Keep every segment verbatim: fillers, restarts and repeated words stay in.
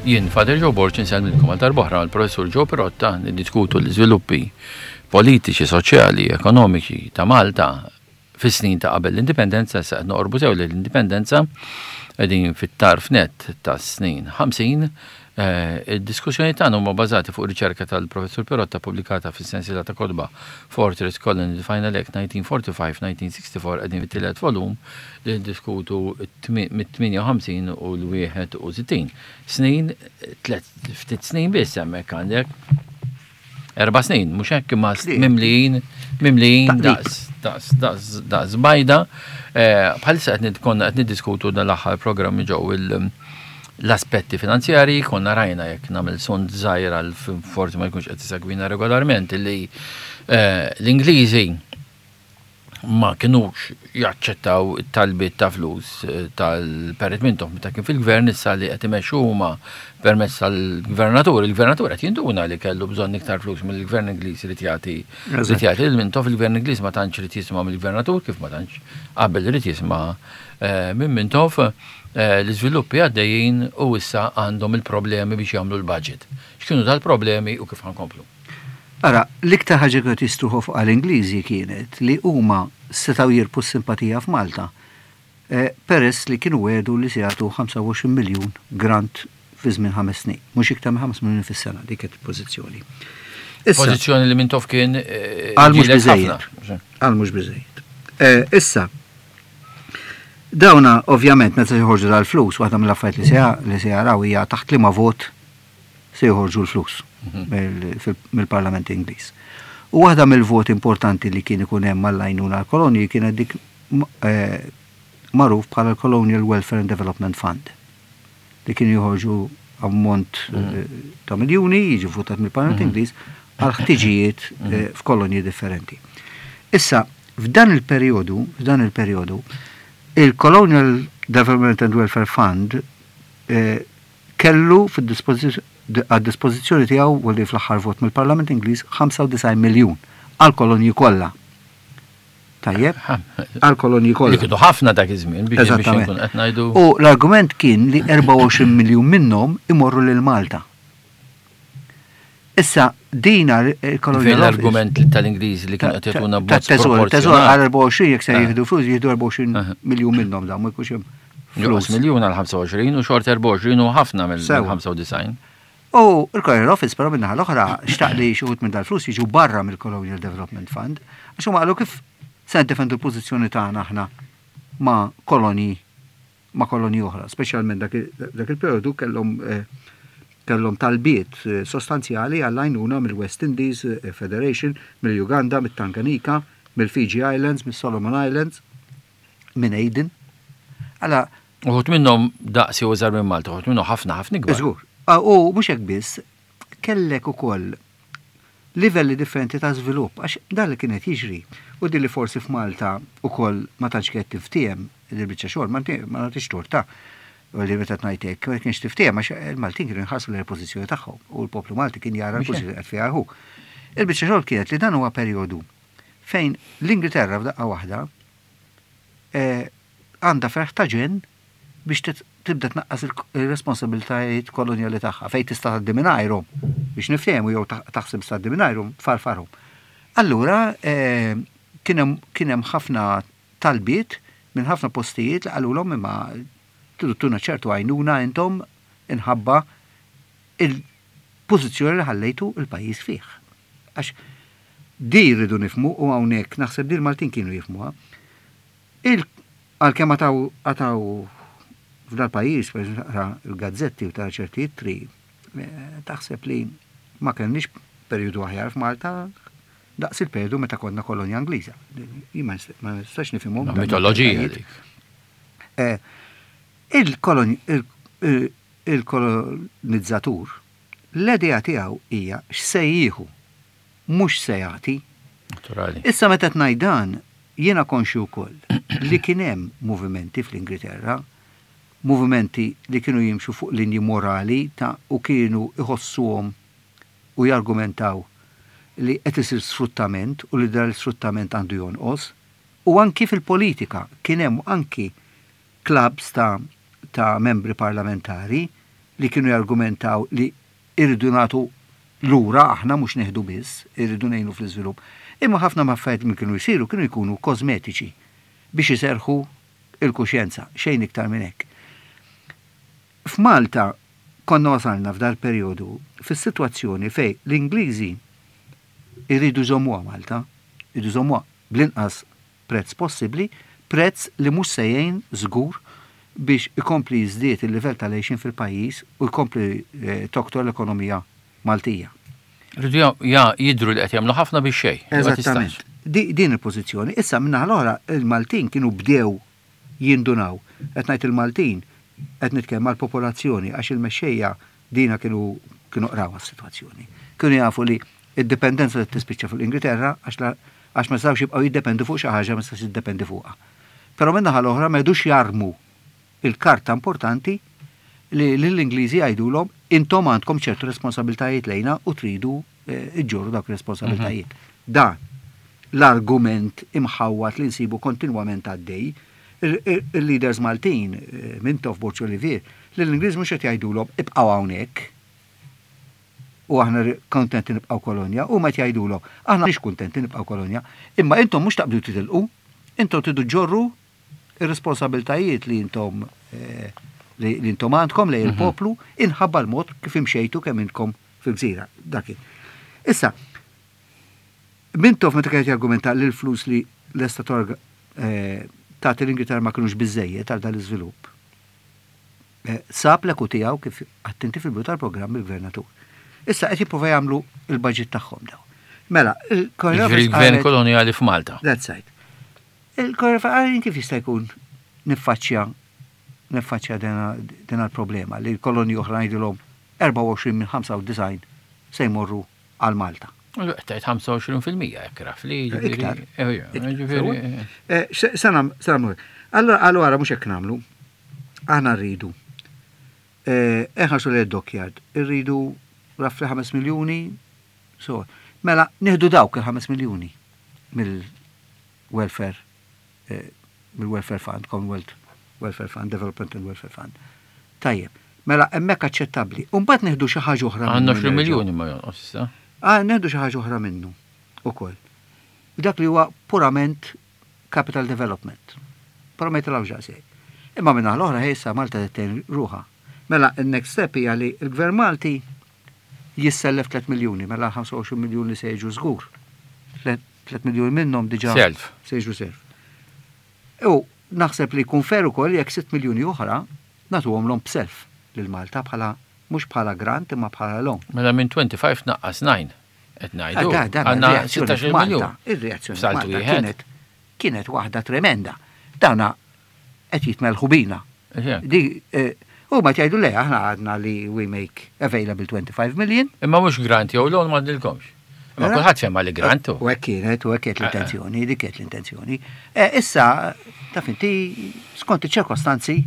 Jien Father Joe Borg insellmilkom għal darb'oħra mal-Professur Joe Pirotta niddiskutu l-iżviluppi politiċi, soċjali, ekonomiċi ta' Malta fis-snin ta' qabel l-indipendenza, issa qed noqorbu sew l-indipendenza, qegħdin fit-tarf net ta' snin ħamsin. Id-diskussjoni tagħna huma bażati fuq riċerka tal-Professur Pirotta pubblikata fis-sensiela ta' kotba Fortress Colony The Final Act nineteen forty-five nineteen sixty-four. Qegħdin fit-tielet volum li ndiskutu mit-tmienja u ħamsin u l-wieħed u sittin. Snin, tlet ftit snin biss, hemmhekk għandek erba' snin, mhux hekk, imma mimlijin, mimlijin daqs, daqs, daqs, daqs bajda. Bħalissa qed konna qed niddiskutu dan l-aħħar programmi ġew l-aspetti finanzjari. Konna rajna, jekk nagħmel sunt żgħir għal forsi ma jkunx qed isegwina regolarment, li l-Ingliżi ma kinux jaċċettaw it-talbiet ta' flus tal-Perit Mintoff meta kien fil-gvern. Issa li qed imexxu huma permezz tal-gvernatur, il-gvernatur qed jinduna li kellu bżonn iktar flus mill-gvern Ingliż li jagħti li jagħti lil Mintoff. Il-gvern Ingliż ma tantx irid jisma' mill-gvernatur kif ma tantx qabel irid jisma' minn Mintoff. L-iżviluppi għaddejjin u issa għandhom il-problemi biex jagħmlu l-budget. X'kienu dal-problemi u kif ħa nkomplu? Ara, l-iktar ħaġa kienu jistruħu fuq għall-Ingliżi kienet li huma setgħu jirbħu simpatija f'Malta, peress li kienu wegħdu li se jagħtu ħamsa u għoxrin miljun grant fi żmien ħames snin, mhux iktar minn ħames miljun fis-sena, dik kienet il-pożizzjoni. Pożizzjoni li Mintoff kien Għal mhux biżejjed. Għal mhux biżejjed. Issa, dawna ovvjament meta joħorġu dal-flus, waħda mill-affarijiet li se jaraw hija taħt liema vot se joħorġu l-flus mill-Parlament Ingliż. U waħda mill-voti importanti li kien ikun hemm mal-għajnuna għall-kolonji kienet dik magħruf bħala l-Colonial Welfare and Development Fund, li kien joħorġu ammont ta' miljuni, jiġi votat mill-Parlament Ingliż għal ħtiġijiet f'kolonji differenti. Issa, f'dan il-perjodu, f'dan il-perjodu, il-Colonial Development and Welfare Fund kellu għad-dispożizzjoni tiegħu, u li fl-aħħar vot mill-Parlament Ingliż, ħamsa u disgħin miljun għal kolonji kollha. Tajjeb, għal kolonji kollha. Li kienu ħafna dak iż-żmien biex nkun qed ngħidu. U l-argument kien li erbgħa u għoxrin miljun minnhom imorru lil Malta. Issa, dina il-Colonial L-argument tal-Ingliż li kien qed jagħtuna b'mod. Teżor għal erbgħa u għoxrin, jekk se jieħdu flus, jieħdu erbgħa u għoxrin miljun minnhom, dan ma jkunx hemm flus. Miljun għal ħamsa u għoxrin u xort erbgħa u għoxrin u ħafna mill-ħamsa u disgħin. U il-Colonial Office però min-naħa l-oħra xtaq li xi wħud minn dal-flus jiġu barra mill-Colonial Development Fund, għax huma qalu, kif se ndefendu l-pożizzjoni tagħna aħna ma' kolonji ma' kolonji oħra, speċjalment dak il-periodu kellhom kellhom talbiet sostanzjali għall-għajnuna mill-West Indies Federation, mill-Uganda, mit-Tanganyika, mill-Fiji Islands, mill-Solomon Islands, minn Aden. Alla, uħud minnhom daqsi u żgħar minn Malta, uħud minnhom ħafna ħafna ikbar. Żgur. U mhux hekk biss, kellek ukoll livelli differenti ta' żvilupp, għax dan li kienet jiġri, u din li forsi f'Malta ukoll ma tantx kienet tiftiehem il-biċċa xogħol, ma nagħtix torta. U li meta ngħid hekk, ma kienx tiftiehem għax il-Maltin kienu jħarsu l-pożizzjoni tagħhom u l-poplu Malti kien jara l-pożizzjoni qed fiha hu. Il-biċċa xogħol kienet li dan huwa perjodu fejn l-Ingilterra f'daqqa waħda għandha ferħ ta' ġenn biex tibda tnaqqas il-responsabilitajiet kolonjali tagħha, fejn tista' tgħaddi mingħajrhom, biex niftehmu, jew taħseb tgħaddi mingħajrhom, tfarfarhom. Allura kien hemm ħafna talbiet minn ħafna postijiet li qalulhom, imma tridu tuna ċertu għajnuna intom inħabba il-pożizzjoni li ħallejtu il-pajjiż fih. Għax di rridu nifhmu, u hawnhekk naħseb di l-Maltin kienu jifhmuha. Għalkemm għataw għataw f'dal-pajjiż, per taqra il-gazzetti u tara ċerti ittri, taħseb li ma kellniex periodu aħjar f'Malta daqs il-periodu meta konna kolonja Ingliża. Ma nistax nifhimhom. Mitoloġija dik. Il-kolonizzatur, l-idea tiegħu hija x'se jieħu, mhux se jagħti. Naturali. Issa, meta tgħid dan, jiena konxju wkoll li kien hemm movimenti fl-Ingilterra, movimenti li kienu jimxu fuq linji morali ta' u kienu iħossuhom u jargumentaw li qed isir sfruttament u li dan l-sfruttament għandu jonqos. U anki fil-politika kien hemm anki clubs ta', ta' membri parlamentari li kienu jargumentaw li irridu nagħtu lura aħna, mhux neħdu biss, irridu ngħinu fl-iżvilupp. Imma ħafna affarijiet minn kienu jsiru kienu jkunu kosmetiċi biex iserħu il-kuxjenza, xejn iktar minn hekk. F'Malta konna wasalna f'dal perjodu fis-sitwazzjoni fej l-Ingliżi irridu jżommuha Malta, irridu jżommuha bl-inqas prezz possibbli, prezz li mhux se jgħin żgur biex ikompli jiżdied il-livell tal-għixien fil-pajjiż u jkompli eh, toktor l-ekonomija Maltija. Rridu ja jidru li qed jagħmlu ħafna biex xejn. Ma Eżattament. tistax. Di, din il-pożizzjoni. Issa minna l-oħra il-Maltin kienu bdew jindunaw. Qed ngħid il-Maltin, qed nitkellem mal-popolazzjoni, għax il-mexxejja dina kienu kienu qraw s-sitwazzjoni. Kienu jafu li id-dipendenza li tispiċċa fuq l-Ingilterra, għax la- għax ma setgħux jibqgħu jiddependu fuq xi ħaġa ma setgħux jiddependi fuqha. Però min-naħa l-oħra ma jdux jarmu il-karta importanti li l-Ingliżi jgħidulhom: intom għandkom ċertu responsabiltajiet lejna u tridu eh, iġġorru dawk ir-responsabiltajiet. Dan l-argument imħawat li nsibu kontinwament għaddej, il- il- il-leaders Maltin, eh, Mintoff, Borg Olivier, li l-Ingliż mhux qed jgħidulhom ibqgħu hawnhekk u aħna ri- kontenti nibqgħu kolonja, u ma jgħidulhom aħna mhix kuntenti nibqgħu kolonja, imma intom mhux taqbdu titilqu, intom tridu ġorru ir-responsabiltajiet li intom eh, li li intom għandkom lejn il-poplu inħabba l-mod kif imxejtu kemm intkom fil-gżira. Dak kien. Issa, Mintoff meta kienet jargumenta li l-flus li lesta torga eh, tagħti l-Ingilterra ma kinux biżejjed għal dan l-iżvilupp. Eh, Sab l tiegħu, kif attenti fil-bidu tal-programm, il-gvernatur. Issa qed jipprova jagħmlu il-budget tagħhom daw. Mela, il-Colonial Jiġifieri Office il-gvern qalet- koloniali f'Malta. That's right. Il-Colonial Office qalet, kif jista' jkun niffaċċja niffaċċja dena dena l-problema li l-kolonji oħra ngħidilhom erbgħa u għoxrin minn ħamsa u disgħin se jmorru għal Malta? Tajt ħamsa u għoxrin fil-mija jekk raf li Iktar. Ġifieri. Eh, se- se nam- se nagħmlu hekk. Allora, allora mhux hekk nagħmlu. Aħna rridu. Eh, Inħarsu li dockyard irridu roughly ħames miljuni. So, mela nieħdu dawk il-ħames miljuni mill-welfare eh, mill-welfare fund, Commonwealth Welfare Fund, Development and Welfare Fund. Tajjeb, mela hemmhekk aċċettabbli. U mbagħad nieħdu xi ħaġa oħra Għandna minnu għoxrin nerġgħu. miljuni ma jonqos issa. Ah, nieħdu xi ħaġa oħra minnu ukoll. Dak li huwa purament capital development. Però ma jitilgħux daqshekk. Imma minna l-oħra issa Malta tgħin ruħha. Mela il-next step hija li l-Gvern Malti jissellef tliet miljuni, mela ħamsa u għoxrin miljuni se jiġu żgur. tliet miljuni minnhom diġà Self. se jiġu self. U naħseb li jkun fair ukoll jekk sitt miljuni oħra nagħtuhom l b'self lil Malta, bħala mhux bħala grant imma bħala loan. Mela minn twenty-five naqqas nine. Qed ngħidu. Ah, da- dan Għandna ir-reazzjoni sittax-il f'Malta, miljun. ir-reazzjoni F'saltu f'Malta wieħed. kienet kienet waħda tremenda. Dana qed jitmelħu bina. Eħe. Di eh, u ma tgħidu le, aħna għadna li we make available twenty-five million. Imma mhux grant jew loan ma għandilkomx. Imma Mela? kulħadd fema li grant hu. U hekk kienet, u hekk kienet l-intenzjoni, dik kienet l-intenzjoni. Eh, Issa, taf inti, skont iċ-ċirkostanzi,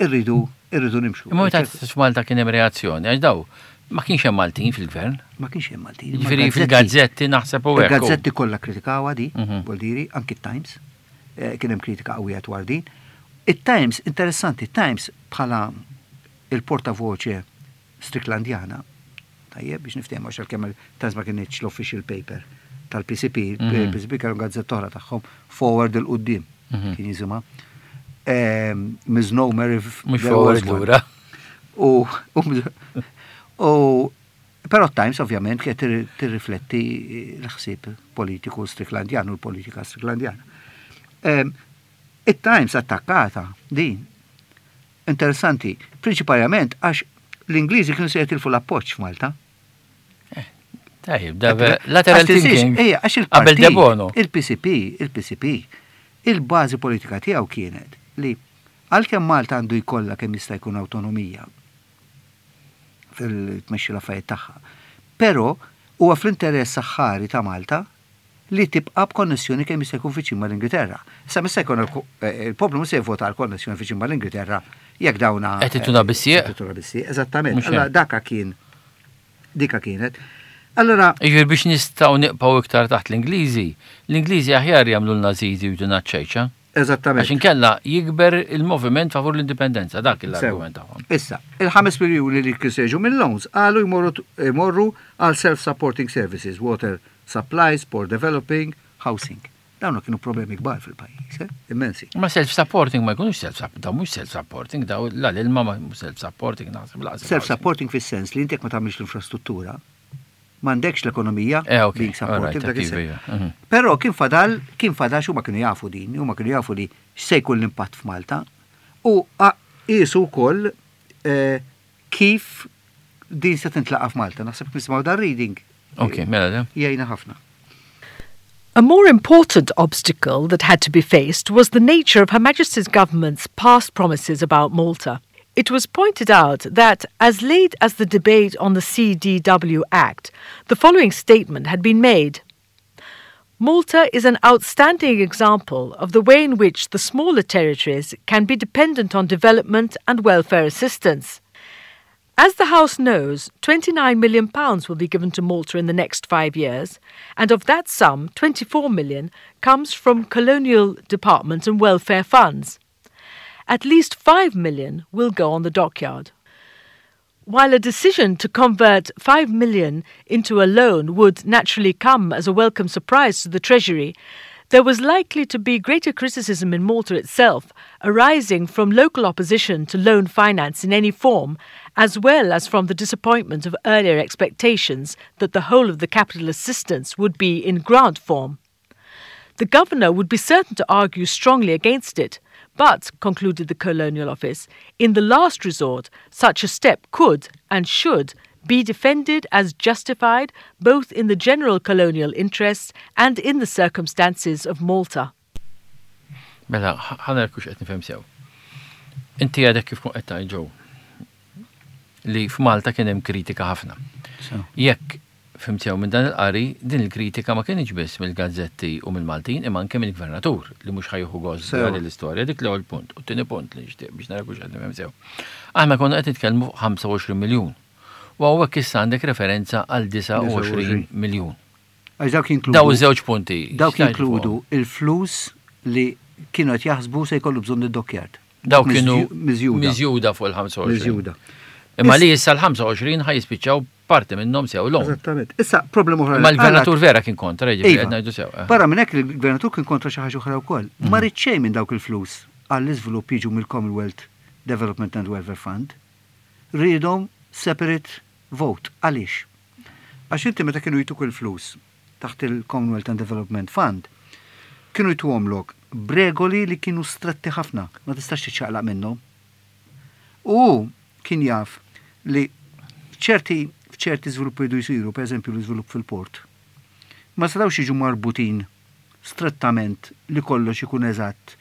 irridu irridu nimxu. Imma meta f'Malta kien hemm reazzjoni, għax daw ma kienx hemm Maltin fil-gvern. Ma kienx hemm Maltin. Imma Ġifieri l-gazzetti- fil-gazzetti naħseb u hekk. Il-gazzetti kollha kritikawha di, Mhm. vuol anki Times, eh, kien hemm kritika qawwija dwar din. It-Times, interessanti, Times bħala il-portavoce Stricklandjana, tajjeb biex niftehmu, għax għalkemm il-Times ma kienx l-official paper tal-P C P, Mhm. il-P C P kellu gazzetta oħra tagħhom, Forward, 'il quddiem, Mhm. kien jisimha. Ehm, Misnomer if Mhux there forward was one. lura. U, u, u però Times ovvjament kienet tir- tirrifletti l-ħsieb politiku Stricklandjan u l-politika Stricklandjana. Em, Il-Times attakkata din. Interessanti, prinċipalment għax l-Ingliżi kienu se jitilfu l-appoġġ f'Malta. Tajjeb, da lateral Għax tinsiex, thinking. Ejja, għax Qabel il-partit, De Bono. il-P C P, il-P C P, il-bażi politika tiegħu kienet li għalkemm Malta għandu jkollha kemm jista' jkun awtonomija fil-tmexxi l-affarijiet tagħha. Però huwa fl-interess saħħari ta' Malta li tibqa' b'konnessjoni kemm jista' jkun viċin mal-Ingilterra. Issa mista jkun il- il-poplu mhux se jivvota għal konnessjoni viċin mal-Ingilterra jekk dawna Qed ituna bis-sieq. Qed ituna bis-sieq, eżattament. Mhux Allora hekk. daka kien dika kienet. Allora Jiġifieri biex nistgħu nibqgħu iktar taħt l-Ingliżi, l-Ingliżi aħjar jagħmlu l-Nazizi u jtuna ċejċa. Eżattament. Għax inkella jikber il-moviment favur l-indipendenza, dak l-argument tagħhom. Issa, il-ħames miljuni li kienu jiġu mill-loans qalu jmorru jmorru għal self-supporting services, water supplies, port developing, housing. Dawn kienu problemi kbar fil-pajjiż, eh? Immensi. Ma self-supporting ma jkunux self-supporting, daw mhux self-supporting, daw la l-ilma ma mhux self-supporting naħseb laqas. Self-supporting fis-sens li inti jekk ma tagħmilx l-infrastruttura, m'għandekx l-ekonomija Eh, ok, being supportive alright, dak iva, is-sens. iva, mhm. Però kien fadal, kien fadal x'huma kienu jafu din, huma kienu jafu li x'se jkun l-impatt f'Malta u qisu wkoll eh, kif din se tintlaqa f'Malta. Naħseb nisimgħu dar reading. Ok, mela da. Jgħinna ħafna. A more important obstacle that had to be faced was the nature of Her Majesty's government's past promises about Malta. It was pointed out that, as late as the debate on the C D W Act, the following statement had been made. "Malta is an outstanding example of the way in which the smaller territories can be dependent on development and welfare assistance. As the House knows, twenty-nine million pounds will be given to Malta in the next five years, and of that sum, twenty-four million comes from colonial department and welfare funds. At least five million will go on the dockyard." While a decision to convert five million into a loan would naturally come as a welcome surprise to the Treasury, there was likely to be greater criticism in Malta itself, arising from local opposition to loan finance in any form, as well as from the disappointment of earlier expectations that the whole of the capital assistance would be in grant form. The governor would be certain to argue strongly against it, but, concluded the Colonial Office, in the last resort, such a step could and should be defended as justified both in the general colonial interests and in the circumstances of Malta. Mela, ħa nara hux qed nifhem sew. Inti għadek kif kont qed tgħid ġew li f'Malta kien hemm kritika ħafna. Jekk fhimt sew minn dan il-qari, din il-kritika ma kienx biss mill-gazzetti u mill-Maltin, imma anke mill-gvernatur li mhux ħa jieħu gost Sew. din l-istorja, dik l-ewwel punt. U t-tieni punt li nixtieq biex nara hux qed nifhem sew. Aħna konna qed nitkellmu fuq ħamsa u għoxrin miljun. U hawnhekk issa għandek referenza għal disgħa u għoxrin miljun. Għax dawk jinkludu. Daw iż-żewġ punti. Dawk x'tgħid jinkludu fuqhom? Il-flus li kienu qed jaħsbu se jkollu bżonn id-dockyard. Daw kienu miżjuda. Miżjuda fuq il-ħamsa u għoxrin. Miżjuda. Imma li issa l-ħamsa u għoxrin ħa jispiċċaw parti minnhom sew loan. Eżattament. Issa problema oħra. Ma l-gvernatur vera kien kontra, jiġifieri Iva. qed ngħidu sew. eh. Barra minn hekk il-gvernatur kien kontra xi ħaġa oħra wkoll. Ma ried xejn minn dawk il-flus għall-iżvilupp jiġu mill-Commonwealth Development and Welfare Fund. Riedhom separate vote. Għaliex? Għax inti meta kienu jtuk il-flus taħt il-Commonwealth and Development Fund, kienu jtuhomlok b'regoli li kienu stretti ħafna, ma tistax tiċċaqlaq minnhom. U kien jaf li ċerti f'ċerti żviluppi jridu jsiru, per eżempju l-iżvilupp fil-port, ma setgħux jiġu marbutin strettament li kollox ikun eżatt.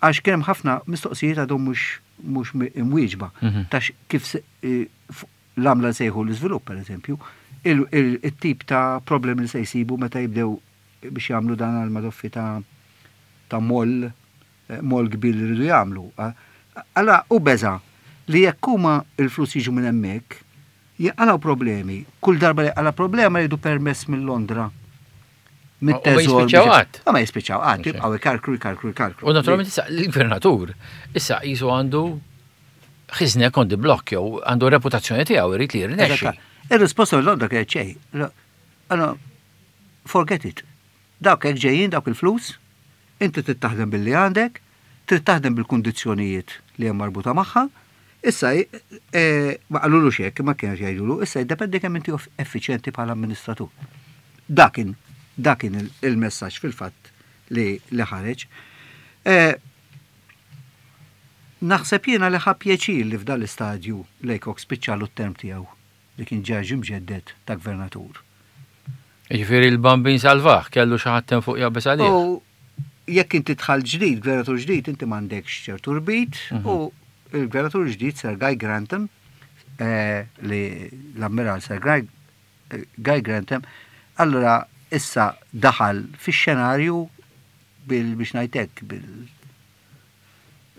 Għax kien hemm ħafna mistoqsijiet għadhom mhux mhux imwieġba Mhm. ta' kif se- eh, f- l-għamla sejħu l-iżvilupp, per eżempju, il- il- il-tip ta' problemi li se jsibu meta jibdew biex jagħmlu dan għal-madoffi ta' ta' moll, eh, moll kbir li rridu jagħmlu. Allora, u beża li jekk huma il-flus jiġu minn hemmhekk, jaqalgħu problemi. Kull darba li għala problema jridu permess minn Londra. U ma jispiċċaw qatt. Ma jispiċċaw qatt, Ok. jibqgħu ikarkru, ikarkru, ikarkru. U naturalment issa l-gvernatur issa jisu għandu his neck on the block jew għandu reputazzjoni tiegħu, irid li jirnexxi. Eżatt. Ir-risposta minn Londra kienet xejn. Allora, forget it. Dawk hekk ġejjin dawk il-flus, inti trid taħdem billi għandek, trid taħdem bil-kundizzjonijiet li hemm marbuta magħha. Issa eh, ma qalulu hekk, ma kienx jgħidulu, issa jiddependi kemm inti effiċjenti bħala amministratur. Dak kien dak kien il- il-messaġġ fil-fatt li li ħareġ. Eh, Naħseb jiena li ħa pjaċir li f'dan l-istadju Laycock spiċċalu t-term tiegħu li kien ġie mġedded ta' gvernatur. Jiġifieri l-Bambin salvah, kellu xi ħadd fuq jaqbeż għalih. U jekk inti tħal ġdid, gvernatur ġdid, inti m'għandekx ċertu rbit u il-gvernatur ġdid Sir Guy Grantham, eh, li l-ammiral Sir Guy, eh, Guy Grantham, allora issa daħal fix-xenarju bil biex ngħidlek bil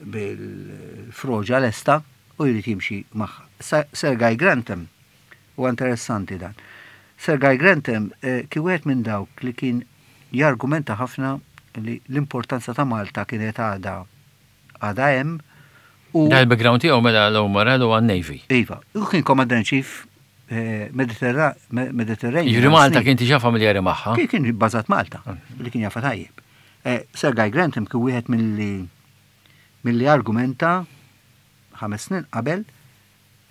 bil-froġa lesta u jrid jimxi magħha. Sa- Sir Guy Grantham, u interessanti dan. Sir Guy Grantham eh, kien wieħed minn dawk li kien jargumenta ħafna Li l-importanza ta' Malta kienet għada għada hemm u Da il-background tiegħu mela l-Umar u għan-Navy. Iva, u kien Commander in Chief eh, Mediterra- Me- Mediterranean. Jiġifieri Malta kien diġà familjari magħha. Kien kien bbażat Malta, li kien jafa tajjeb. Eh, Sir Guy Grantham kien wieħed milli milli argumenta ħames snin qabel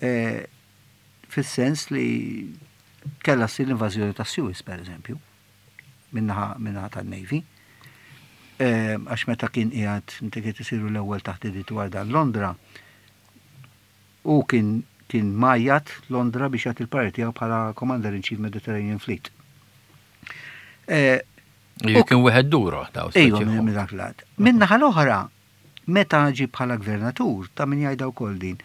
eh, fis-sens li kellha ssir l-invażjoni ta' Suez, per eżempju, min-naħa min-naħa tan-Navy. Eh, Għax meta kien qiegħed inti kien isiru l-ewwel taħdidiet dwar dan Londra, u kien kien majjat Londra biex jagħti l-parir tiegħu bħala Commander in Chief Mediterranean Fleet. Eh, Jiġifieri kien wieħed duro daw. Ejwa, minn minn dak lat. Min-naħa l-oħra, meta ġi bħala gvernatur, ta' min jgħidha wkoll din,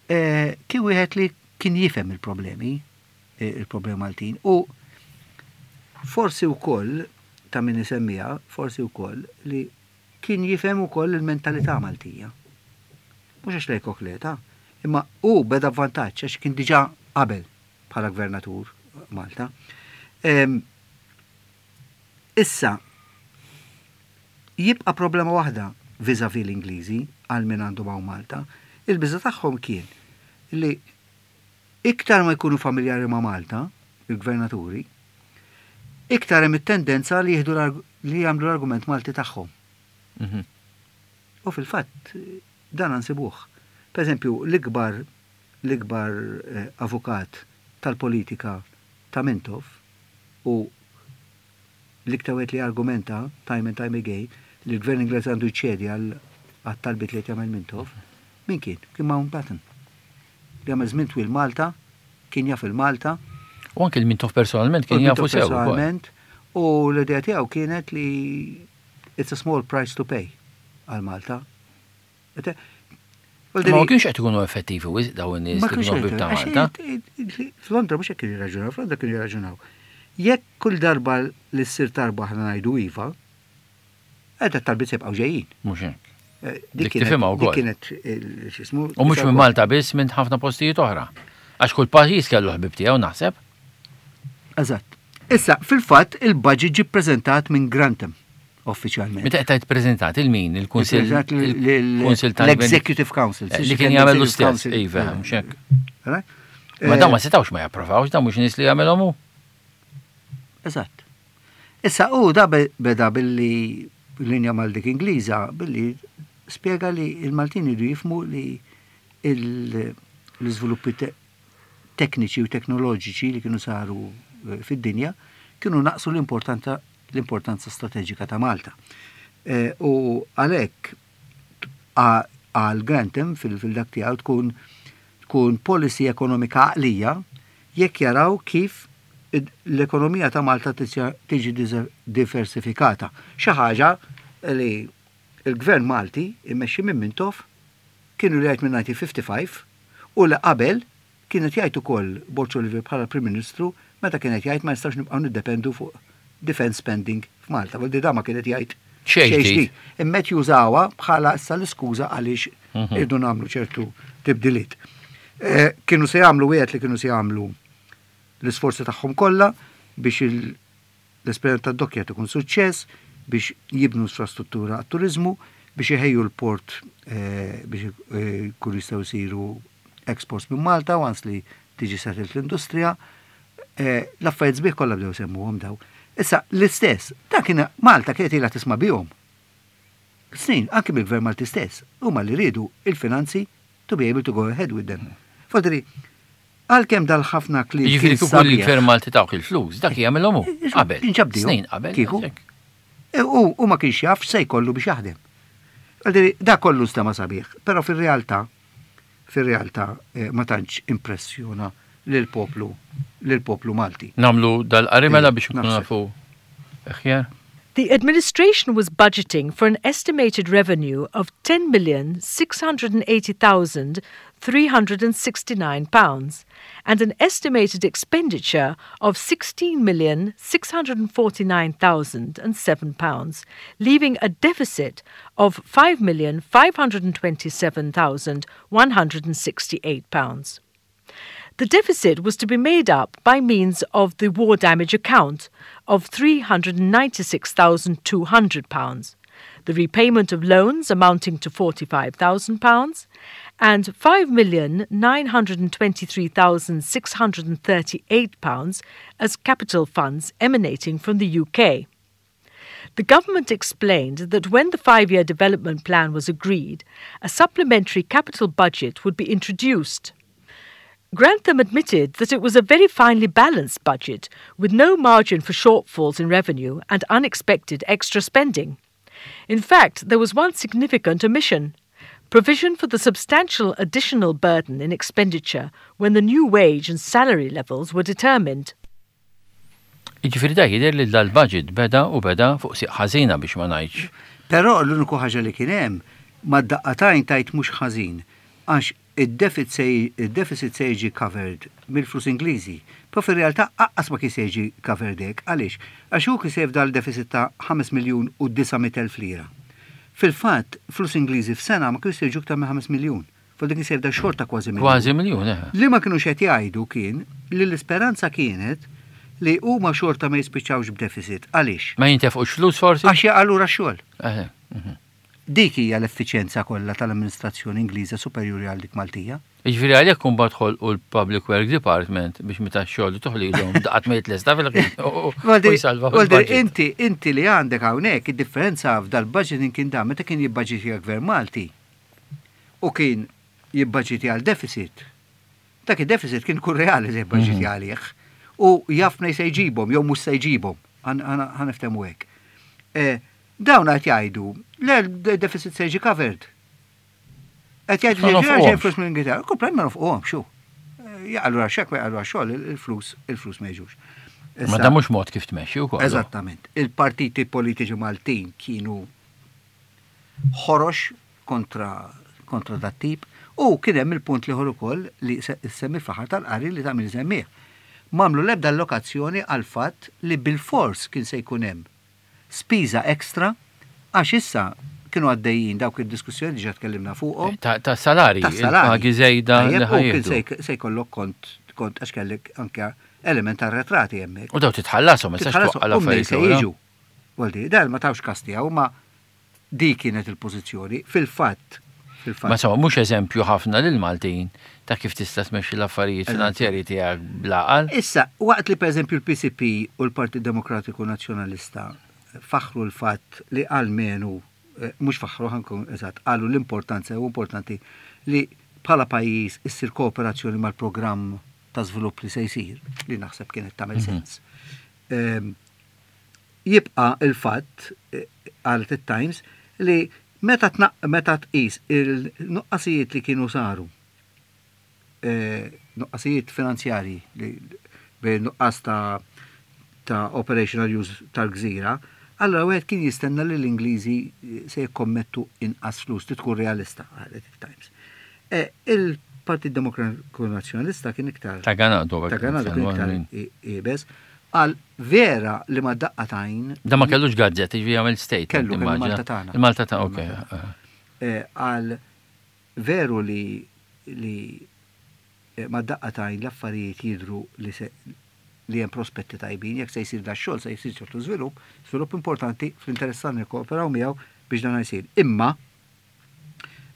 eh, kien wieħed li kien jifhem il-problemi, eh, il-problemi Maltin, u forsi wkoll ta' min isemmija, forsi wkoll li kien jifhem ukoll il-mentalità Maltija. Mhux għax lejk okleta, imma u beda vantaġġ għax kien diġà qabel bħala gvernatur Malta. Em, Issa, jibqa problema waħda vis-a-vis l-Ingliżi għal min għandu hawn Malta. Il-biża tagħhom kien li iktar ma jkunu familjari ma' Malta, il-gvernaturi, iktar hemm it-tendenza li jieħdu l-arg- li jagħmlu l-argument Malti tagħhom. Mhm. U fil-fatt dan nsibuh. Per eżempju, l-ikbar l-ikbar eh, avukat tal-politika ta' Mintoff u l-iktar wieħed li argumenta time and time again li l-gvern Ingliż għandu jċedi għal għat-talbiet li qed jagħmel Mintoff, min kien? Kien Mountbatten. Li għamel żmien twil Malta, kien jaf il-Malta, U anke il-Mintoff personalment kien u jafu Mintoff sew ukoll. personalment, u l-idea tiegħu kienet li it's a small price to pay għal Malta. Ete- Ma kienx qed ikunu effettivi wisq daw in-nies Ma li kienx kienu ħbieb ta' għax Malta. F'Londra mhux hekk kienu jirraġunaw, f'Londra kienu jirraġunaw. Jekk kull darba li ssir tarba aħna ngħidu iva, qed talbiet se jibqgħu ġejjin. Mhux hekk. Eh, Dik kienet- tifhimha wkoll. Dik kienet il- x'ismu. U mhux minn Malta biss minn ħafna postijiet oħra. Għax kull pajjiż kellu ħbib tiegħu naħseb. Eżatt. Issa, fil-fatt, il-budget ġi ppreżentat minn Grantham, uffiċjalment. Meta qed preżentat il-min, il-Kunsill Ippreżentat l- il-Kunsill tal l-Executive Council. Eh, Li kien jagħmel l-istess, iva, mhux hekk. Ma dawn ma setgħux ma japprovawx, dawn mhux nies li jagħmelhom hu. Eżatt. Issa, u da be- beda billi linja mal dik Ingliża, billi spiega li il-Maltin iridu jifhmu li il- l-iżviluppi te- tekniċi u teknoloġiċi li kienu saru eh, fid-dinja kienu naqsu l-importanza l-importanza strateġika ta' Malta. Eh, U għalhekk a- għal Grantham fil-dak tiegħu tkun tkun policy ekonomika għaqlija jekk jaraw kif id- l-ekonomija ta' Malta tiġi tiġi dize- diversifikata. Xi ħaġa li il-gvern Malti immexxi minn Mintoff kienu li jgħid minn elf disa' mija u ħamsa u ħamsin u li qabel kienet jgħid ukoll Borg Olivier bħala Prim Ministru meta kienet jgħid ma nistax nibqgħu niddependu fuq defense spending f'Malta. Vuol da ma kienet jgħid Xejn ġdid. ġdid. Immet jużawha bħala issa l-iskuża għaliex Mhm. irdu nagħmlu ċertu tibdiliet. Eh, Kienu se jagħmlu wieħed li kienu se jagħmlu l-isforzi tagħhom kollha biex il- l-esperjenza tad-dockja ikun suċċess, biex jibnu infrastruttura għat-turizmu, biex iħejju l-port eh, biex eh, jkunu jistgħu jsiru exports minn Malta, once li tiġi settled l-industrija. Eh, L-affarijiet sbieħ kollha bdew semmuhom daw. Issa l-istess, ta' kien Malta kienet ilha tisma' bihom. Snin, anke bil-gvern Malti stess, huma li rridu il-finanzi to be able to go ahead with them. Fodri, għalkemm dal-ħafna kliem Jiġifieri kien kieku sabiħ, l-gvern Malti tawk il-flus, dak jagħmelhom hu. Qabel. Inġabdihom. Snin qabel. Kieku. hekk. E, U u ma kienx jaf se jkollu biex jaħdem. Għaldiri, da kollu stema sabiħ, però fil-realtà, fil-realtà eh, ma tantx impressjona lil-poplu lil-poplu Malti. Nagħmlu dal-qari mela biex nkunu Naħseb. nafu. Aħjar. The administration was budgeting for an estimated revenue of ten million six hundred eighty thousand three hundred sixty-nine pounds and an estimated expenditure of sixteen million six hundred forty-nine thousand and seven pounds, leaving a deficit of five million five hundred twenty-seven thousand one hundred sixty-eight pounds. The deficit was to be made up by means of the war damage account of three hundred ninety-six thousand two hundred pounds, the repayment of loans amounting to forty-five thousand pounds, and five million nine hundred twenty-three thousand six hundred thirty-eight pounds as capital funds emanating from the U K. The government explained that when the five-year development plan was agreed, a supplementary capital budget would be introduced. Grantham admitted that it was a very finely balanced budget, with no margin for shortfalls in revenue and unexpected extra spending. In fact, there was one significant omission: provision for the substantial additional burden in expenditure when the new wage and salary levels were determined. Jiġifieri da jidher li dal-budget beda u beda fuq sieq ħażina biex ma ngħidx. Però l-uniku ħaġa li kien hemm mad-daqqatajn tajt mhux ħażin, għax id-deficit se jiġi covered mill-flus Ingliżi. Però fir-realtà aqqas ma kien se jiġi covered hekk, għaliex? Għax hu kien se jifdal deficit ta' ħames miljun u disa' mitt elf lira. Fil-fatt, flus Ingliżi f'sena ma kienx se jiġu iktar minn ħames miljun. Fuq dik se jifdal xorta kważi miljun. Kważi miljun, eh. Li ma kinux qed jgħidu kien li l-isperanza kienet li huma xorta ma jispiċċawx b'deficit. Għaliex? Ma jintefqux flus forsi? Għax jaqalura x-xogħol. Eh, mhm. Dik hija l-effiċjenza kollha tal-amministrazzjoni Ingliża superjuri għal dik Maltija. Jiġifieri għalhekk imbagħad ħolqu l-Public Work Department biex meta x-xogħol toħlilhom daqat ma jitlesta fil-ħin u, u, u Waldir, jsalvaw Waldir, il-budget. inti, inti li għandek hawnhekk id-differenza f'dal-budgeting kien dan meta kien jibbaġitja gvern Malti u kien jibbaġitja għal deficit. Dak id-deficit kien kun reali li jibbaġitja Mhm. għalih. U jaf mnej se jġibhom jew mhux se jġibhom. Ħa niftehmu hekk. Eh, dawn qed jgħidu, le l-deficit se jiġi covered. Qed jgħidu Ma li nofquhomx. ġej flus mill-Ingilterra. Komplet ma nofquhomx, xu. Jaqalu għax-xekk, ma jaqalu għax-xogħol, il-flus, il-flus ma jiġux. Ma dan mhux mod kif tmexxi wkoll. Eżattament. Il-partiti politiċi Maltin kienu ħorox kontra, kontra dat tip u kien hemm il-punt li ħor ukoll li se-, semmi fl-aħħar tal-qari li tagħmel semmih. M'għamlu l-ebda allokazzjoni għal fatt li bil-fors kien se jkun hemm spiża ekstra għax issa kienu għaddejjin dawk id-diskussjoni diġà tkellimna fuqhom. Ta', ta' salari, Ta' salari. il-pagi żejda Tajjeb, li u kien ħajjieħdu. se jk-, se jkollok kont, kont għax kellek anke element arretrati hemmhekk. U daw titħallasom, ma tistax Titħallasom, twaqqal u mnej affarijiet se lura. jiġu. Waldi, dan ma tawx kas tiegħu, ma dik kienet il-pożizzjoni. Fil-fatt, fil-fatt. Ma insomma, mhux eżempju ħafna lil Maltin ta' kif tista' tmexxi l-affarijiet Eżatt. finanzjarji tiegħek bl-għaqal. Issa, waqt li pereżempju l-P C P u l-Partit Demokratiku Nazzjonalista faħru l-fatt li almenu, eh, mhux faħru ħankun eżatt, qalu l-importanza u importanti li bħala pajjiż issir kooperazzjoni mal-programm ta' żvilupp li se jsir, li naħseb kienet tagħmel Mhm. sens. Ehm, jibqa' il-fatt, eh, qalet it-Times, li meta tnaq-, meta tqis il-nuqqasijiet li kienu saru, eh, nuqqasijiet finanzjarji li bejn nuqqas ta', ta' operational use tal-gżira, allora wieħed kien jistenna li l-Ingliżi se jikkommettu inqas flus, li tkun realista, qalet it-Times. Eh, il-Partit Demokratiku Nazzjonalista kien iktar Ta' Ganado, ta' Ganado kien iktar kien i-, iebes, għal vera li ma daqqa tajn. Da ma kellux gazzett, jiġifieri jagħmel statement, Kellu, kellu immaġina. Malta tagħna. Il-Malta tagħna, ok. Il-Malta tagħna. Eh, għal veru li, li, eh, ma daqqa tajn l-affarijiet jidru li se li hemm prospetti tajbin, jekk se jsir da xogħol se jsir ċertu żvilupp, żvilupp importanti fl-interess tagħna nikkooperaw miegħu biex dan jsir. Imma,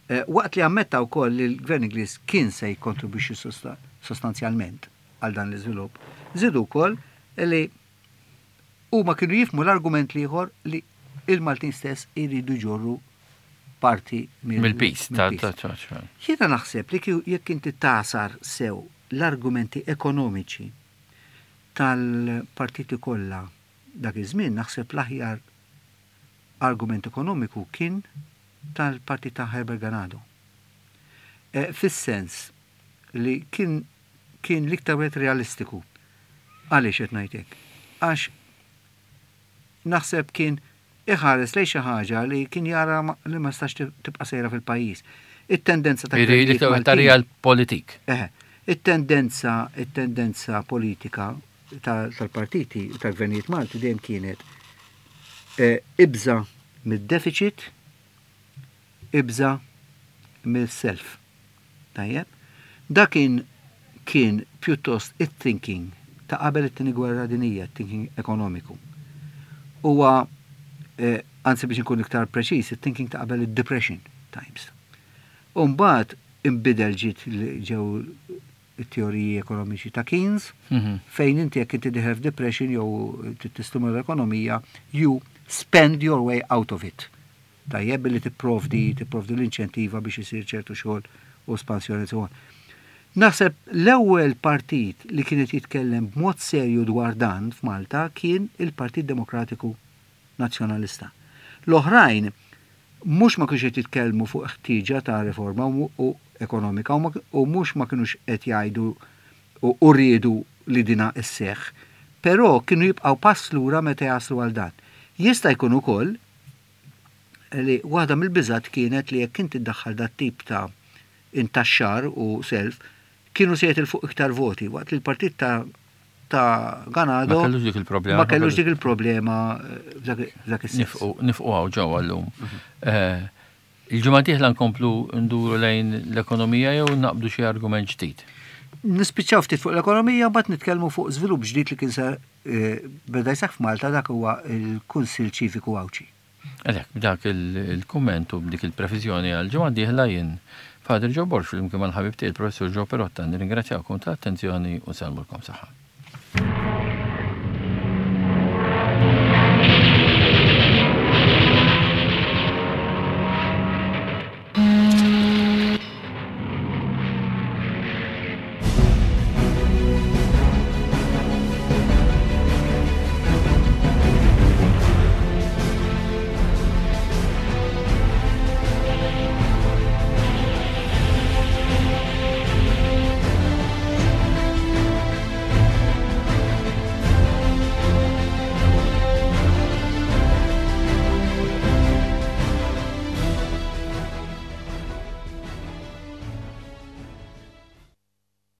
eh, waqt li ammetta wkoll li l-Gvern Ingliż kien se jikkontribwixxi sosta-, sostanzjalment għal dan l-iżvilupp, żidu wkoll li huma kienu jifhmu l-argument l-ieħor li il-Maltin stess iridu jġorru parti mill- Mill-pis, ta' mill-pis. ta' ta' ta' Jiena naħseb li kieku jekk inti tasar sew l-argumenti ekonomiċi tal-partiti kollha dak iż-żmien, naħseb l-aħjar argument ekonomiku kien tal-partit ta' Herbert Ganado. Eh, fis-sens li kien, kien l-iktar wieħed realistiku. Għaliex qed ngħid hekk? Għax naħseb kien iħares lejn xi ħaġa li kien jara ma-, li ma stax tib-, tibqa' sejra fil-pajjiż. It-tendenza ta' Iri, gvernijiet l-iktar wieħed ta' Maltin real politik. Eħe, it-tendenza, it-tendenza politika ta-, tal-partiti u tal-gvernijiet Malti dejjem kienet, eh, ibża mid-deficit, ibża mill-self. Tajjeb? Da kien, kien pjuttost it-thinking ta' qabel it-tieni gwerra dinija, thinking ekonomiku. Huwa eh, anzi biex nkun iktar preċiż, it-thinking ta' qabel id-Depression times. U mbagħad inbidel ġiet li ġew it-teoriji ekonomiċi ta' Keynes, Mhm. fejn inti jekk inti dieħel f'depression jew tistimula l-ekonomija, you spend your way out of it. Tajjeb billi tipprovdi tipprovdi l-inċentiva biex isir ċertu xogħol u espansjoni so on. Naħseb l-ewwel partit li kienet jitkellem b'mod serju dwar dan f'Malta kien il-Partit Demokratiku Nazzjonalista. L-oħrajn mhux ma kienx qed jitkellmu fuq ħtieġa ta' riforma u, u ekonomika u ma- u mhux ma kienux qed jgħidu u u riedu li dina isseħ, però kienu jibqgħu pass lura meta jaslu għal dan. Jista' jkun ukoll li waħda mill-biżat kienet li jekk inti ddaħħal dat tip ta' intaxxar u self, kienu se jitilfu iktar voti, waqt li l-partit ta' ta' Ganado Ma kellux dik il-problema. ma kellux dik il-problema eh, f'dak f'dak is-sens. Nifqu nifqu hawn ġewwa llum. Eh, Il-ġimgħa dieħla nkomplu nduru lejn l-ekonomija jew naqbdu xi argument ġdid. Nispiċċaw ftit fuq l-ekonomija, mbagħad nitkellmu fuq żvilupp ġdid li kien sar eh, beda jseħħ f'Malta dak huwa il-Kunsill Ċiviku Għawdxi. Għalhekk, b'dak il- il-kumment u b'dik il-previżjoni għal ġimgħa dieħla jien Father Joe Borg flimkien mal-ħabib tiegħi il-Professur Joe Perotta nirringrazzjawkom tal-attenzjoni u nsellmulkom saħħa.